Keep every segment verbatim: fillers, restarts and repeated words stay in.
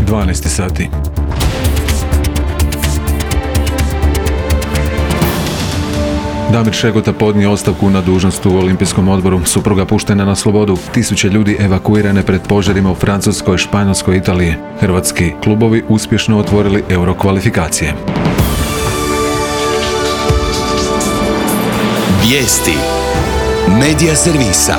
dvanaest sati. Damir Šegota podnio ostavku na dužnost u Olimpijskom odboru, supruga puštena na slobodu, tisuće ljudi evakuirane pred požarima u Francuskoj, Španjolskoj i Italiji. Hrvatski klubovi uspješno otvorili euro kvalifikacije. Vijesti Medija servisa.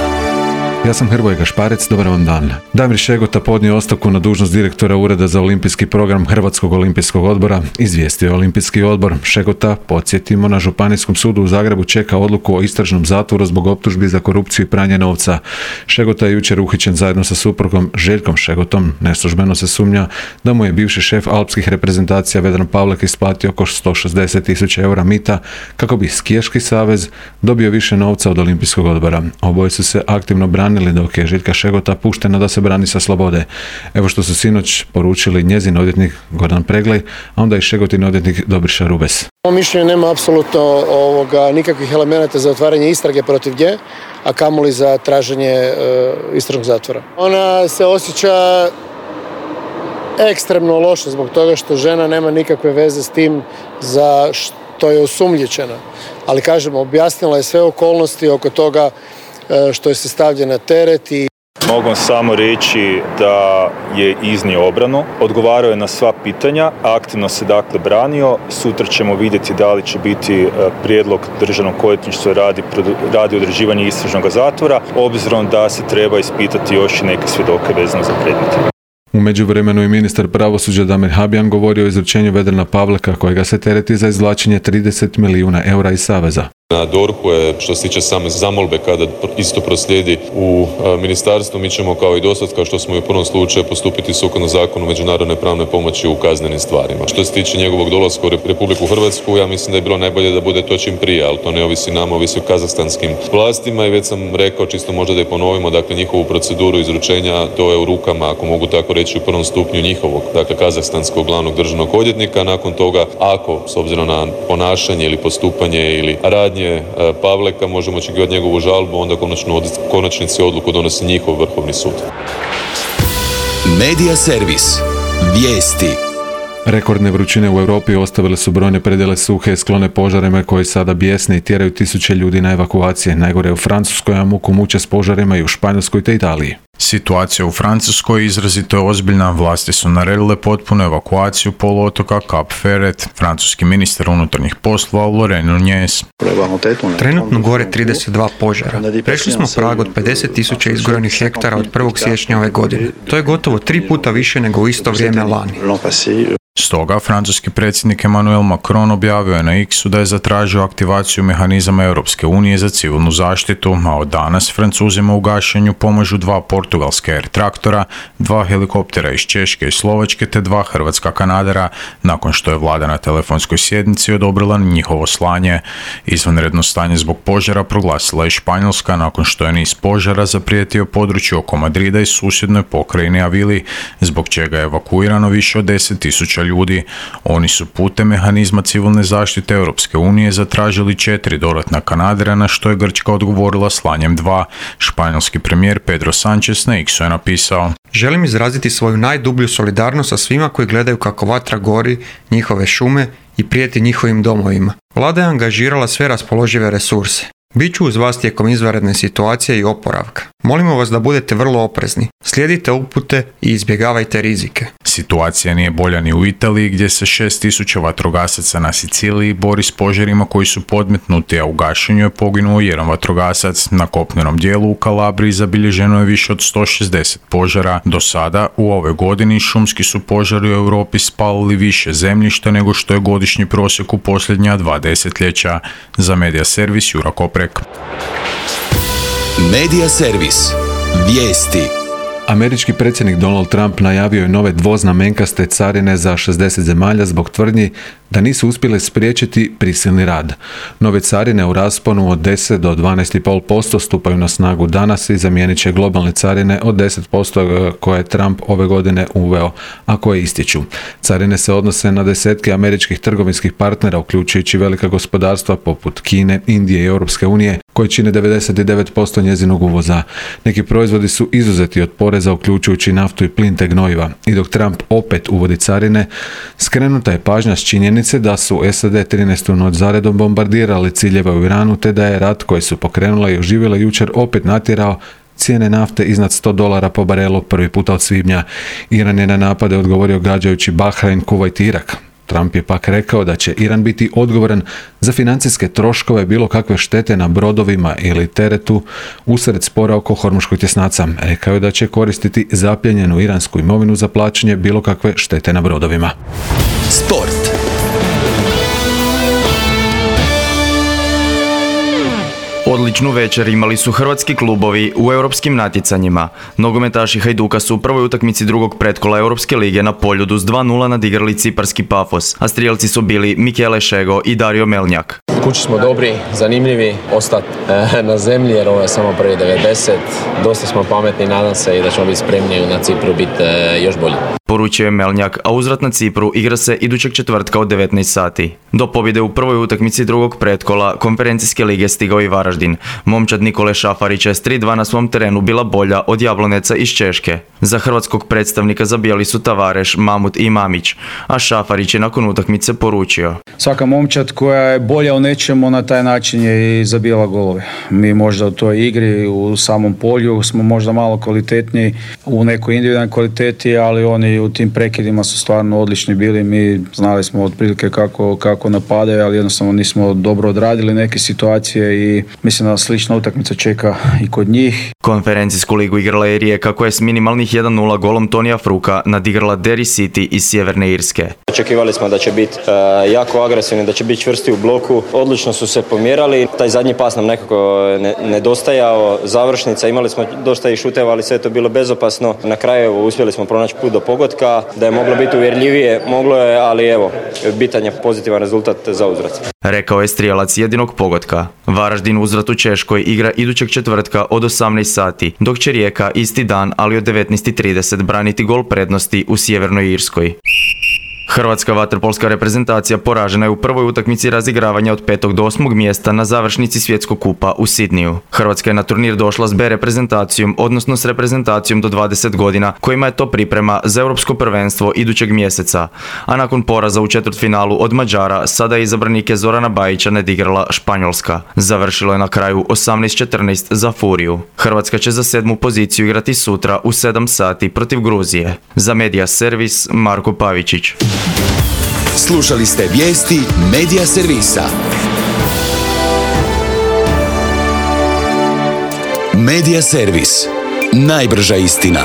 Ja sam Hrvoje Gašparec, dobar vam dan. Damir Šegota podnio ostavku na dužnost direktora Ureda za olimpijski program Hrvatskog olimpijskog odbora, izvijestio je Olimpijski odbor. Šegota, podsjetimo, na Županijskom sudu u Zagrebu čeka odluku o istražnom zatvoru zbog optužbi za korupciju i pranje novca. Šegota je jučer uhićen zajedno sa suprugom Željkom Šegotom. Neslužbeno se sumnja da mu je bivši šef alpskih reprezentacija Vedran Pavlek isplatio oko sto šezdeset tisuća eura mita kako bi skijaški savez dobio više novca od Olimpijskog odbora. Oboje su se aktivno branili dok je Željka Šegota puštena da se brani sa slobode. Evo što su sinoć poručili njezin odvjetnik Gordan Preglej, a onda i Šegotin odvjetnik Dobriša Rubes. Po mišljenju nema apsolutno ovoga, nikakvih elemenata za otvaranje istrage protiv nje, a kamoli za traženje e, istražnog zatvora. Ona se osjeća ekstremno loše zbog toga što žena nema nikakve veze s tim za što je osumnjičena. Ali kažemo, objasnila je sve okolnosti oko toga što je se stavljen na teret. I mogu samo reći da je iznio obranu, odgovarao je na sva pitanja, aktivno se dakle branio. Sutra ćemo vidjeti da li će biti prijedlog državnog odvjetništva radi, radi određivanje istražnog zatvora, obzirom da se treba ispitati još i neke svjedoke vezano za predmet. U međuvremenu i ministar pravosuđa Damir Habijan govorio o izručenju Vedrana Pavleka kojega se tereti za izvlačenje trideset milijuna eura iz saveza. Na D O R H-u je, što se tiče same zamolbe, kada isto proslijedi u ministarstvu, mi ćemo kao i dosad, kao što smo i u prvom slučaju, postupiti sukladno zakonu međunarodne pravne pomoći u kaznenim stvarima. Što se tiče njegovog dolaska u Republiku Hrvatsku, ja mislim da je bilo najbolje da bude to čim prije, ali to ne ovisi nama, ovisi o kazahstanskim vlastima i već sam rekao, čisto možda da je ponovimo, dakle njihovu proceduru izručenja, to je u rukama, ako mogu tako reći, u prvom stupnju njihovog, dakle kazahstanskog glavnog državnog odvjetnika. Nakon toga, ako, s obzirom na ponašanje ili postupanje ili radnje Pavleka, možemo očekivati njegovu žalbu, onda konačno konačnici odluku donosi njihov Vrhovni sud. Medija servis. Vijesti. Rekordne vrućine u Europi ostavile su brojne predjele suhe, sklone požarima koji sada bijesne i tjeraju tisuće ljudi na evakuacije. Najgore u Francuskoj, a muku muče s požarima i u Španjolskoj te Italiji. Situacija u Francuskoj izrazito je ozbiljna. Vlasti su naredile potpunu evakuaciju poluotoka Cap Ferret. Francuski ministar unutarnjih poslova Laurent Nunez. Trenutno gore trideset dva požara. Prešli smo prag od pedeset tisuća izgorenih hektara od prvog siječnja ove godine. To je gotovo tri puta više nego u isto vrijeme lani. Stoga, francuski predsjednik Emmanuel Macron objavio je na X-u da je zatražio aktivaciju mehanizama Europske unije za civilnu zaštitu, a od danas Francuzima u gašenju pomažu dva portugalska Air traktora, dva helikoptera iz Češke i Slovačke te dva hrvatska kanadera, nakon što je vlada na telefonskoj sjednici odobrila njihovo slanje. Izvanredno stanje zbog požara proglasila je Španjolska nakon što je niz požara zaprijetio području oko Madrida i susjednoj pokrajini Avili, zbog čega je evakuirano više od deset tisuća ljudi. Oni su putem mehanizma civilne zaštite Europske unije zatražili četiri dodatna kanadera, na što je Grčka odgovorila slanjem dva. Španjolski premijer Pedro Sánchez na X-u je napisao: Želim izraziti svoju najdublju solidarnost sa svima koji gledaju kako vatra gori njihove šume i prijeti njihovim domovima. Vlada je angažirala sve raspoložive resurse. Biću uz vas tijekom izvanredne situacije i oporavka. Molimo vas da budete vrlo oprezni. Slijedite upute i izbjegavajte rizike. Situacija nije bolja ni u Italiji, gdje se šest tisuća vatrogasaca na Siciliji bori s požarima koji su podmetnuti, a u gašenju je poginuo jedan vatrogasac. Na kopnenom dijelu u Kalabriji zabilježeno je više od sto šezdeset požara. Do sada u ovoj godini šumski su požari u Europi spalili više zemljišta nego što je godišnji prosjek u posljednja dva desetljeća. Za Medija servis Jura Koprek. Medija servis. Vijesti. Američki predsjednik Donald Trump najavio je nove dvoznamenkaste carine za šezdeset zemalja zbog tvrdnji da nisu uspjele spriječiti prisilni rad. Nove carine u rasponu od deset do dvanaest zarez pet posto stupaju na snagu danas i zamijenit će globalne carine od deset posto koje je Trump ove godine uveo, a koje ističu. Carine se odnose na desetke američkih trgovinskih partnera, uključujući velika gospodarstva poput Kine, Indije i Europske unije, koje čine devedeset devet posto njezinog uvoza. Neki proizvodi su izuzeti od poreza, uključujući naftu i plin te gnojiva. I dok Trump opet uvodi carine, skrenuta je pažnja s činjenice da su S A D trinaestu noć zaredom bombardirali ciljeve u Iranu, te da je rat koji su pokrenula i oživjela jučer opet natjerao cijene nafte iznad sto dolara po barelu prvi puta od svibnja. Iran je na napade odgovorio gađajući Bahrein, Kuvajt i Irak. Trump je pak rekao da će Iran biti odgovoran za financijske troškove bilo kakve štete na brodovima ili teretu usred spora oko Hormuškog tjesnaca. Rekao je da će koristiti zapljenjenu iransku imovinu za plaćanje bilo kakve štete na brodovima. Sport. Odličnu večer imali su hrvatski klubovi u europskim natjecanjima. Nogometaši Hajduka su u prvoj utakmici drugog pretkola Europske lige na Poljudu s dva nula nadigrali ciparski Pafos, a strijelci su bili Michele Šego i Dario Melnjak. Kući smo dobri, zanimljivi, ostati e, na zemlji jer ovo je samo prvi devedeset. Dosta smo pametni, nadam se i da ćemo biti spremni na Cipru biti e, još bolji. Poručio je Melnjak, a uzvrat na Cipru igra se idućeg četvrtka od devetnaest sati. Do pobjede u prvoj utakmici drugog pretkola konferencijske lige stigao i Varaždin. Momčad Nikole Šafarića je s tri dva na svom terenu bila bolja od Jabloneca iz Češke. Za hrvatskog predstavnika zabijali su Tavareš, Mamut i Mamić, a Šafarić je nakon utakmice poručio: svaka momčad koja je bolja u nečemu na taj način je i zabijala golove. Mi možda u toj igri, u samom polju smo možda malo kvalitetniji u nekoj individualnoj kvaliteti, ali oni u tim prekidima su stvarno odlični bili. Mi znali smo otprilike kako, kako napadaju, ali jednostavno nismo dobro odradili neke situacije i mislim da slična utakmica čeka i kod njih. Konferencijsku ligu igrala je Rijeka koja je s minimalnih jedan nula golom Tonija Fruka nadigrala Derry City iz Sjeverne Irske. Očekivali smo da će biti uh, jako agresivni, da će biti čvrsti u bloku. Odlično su se pomjerali. Taj zadnji pas nam nekako ne, nedostajao. Završnica, imali smo dosta i šuteva, ali sve je to bilo bezopasno. Na kraju uspjeli smo pronaći put do pogotka. Da je moglo biti uvjerljivije, moglo je, ali evo, bitan je pozitivan rezultat za uzvrat. Rekao je strijelac jedinog pogotka. Varaždin uzvrat u Češkoj igra idućeg četvrtka od osamnaest sati, dok će Rijeka isti dan, ali od devetnaest i trideset braniti gol prednosti u Sjevernoj Irskoj. Hrvatska vaterpolska reprezentacija poražena je u prvoj utakmici razigravanja od petog do osmog mjesta na završnici svjetskog kupa u Sidniju. Hrvatska je na turnir došla s B reprezentacijom, odnosno s reprezentacijom do dvadeset godina, kojima je to priprema za europsko prvenstvo idućeg mjeseca. A nakon poraza u četvrtfinalu od Mađara, sada je izabranike Zorana Bajića nadigrala Španjolska. Završilo je na kraju osamnaest četrnaest za Furiju. Hrvatska će za sedmu poziciju igrati sutra u sedam sati protiv Gruzije. Za Media Servis, Marko Pavičić. Slušali ste vijesti Media Servisa. Media Servis. Najbrža istina.